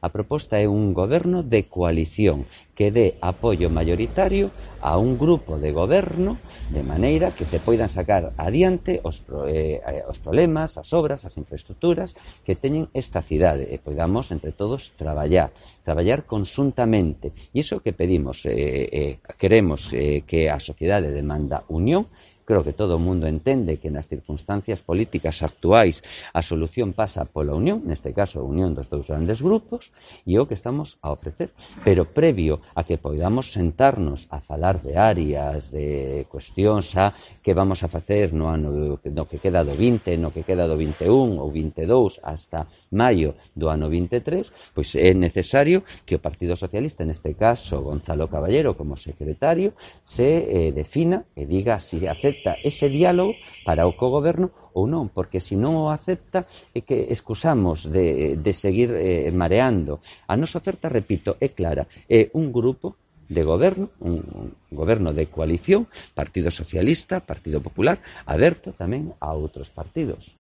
A proposta é un goberno de coalición que dé apoio maioritario a un grupo de goberno de maneira que se poidan sacar adiante os problemas, as obras, as infraestructuras que teñen esta cidade e poidamos entre todos traballar conxuntamente. E iso que pedimos, queremos que a sociedade demanda unión. Creo que todo o mundo entende que nas circunstancias políticas actuais a solución pasa pola unión, neste caso a unión dos dous grandes grupos, e é o que estamos a ofrecer. Pero previo a que poidamos sentarnos a falar de áreas, de cuestións a que vamos a facer no ano no que queda do 20, no que queda do 21 ou 22 hasta maio do ano 23, pois é necesario que o Partido Socialista, neste caso Gonzalo Caballero como secretario, se defina e diga se acepta ese diálogo para o cogoberno ou non, porque se non o acepta é que excusamos de seguir mareando. A nosa oferta, repito, é clara, é un grupo de goberno, un goberno de coalición, Partido Socialista, Partido Popular, aberto tamén a outros partidos.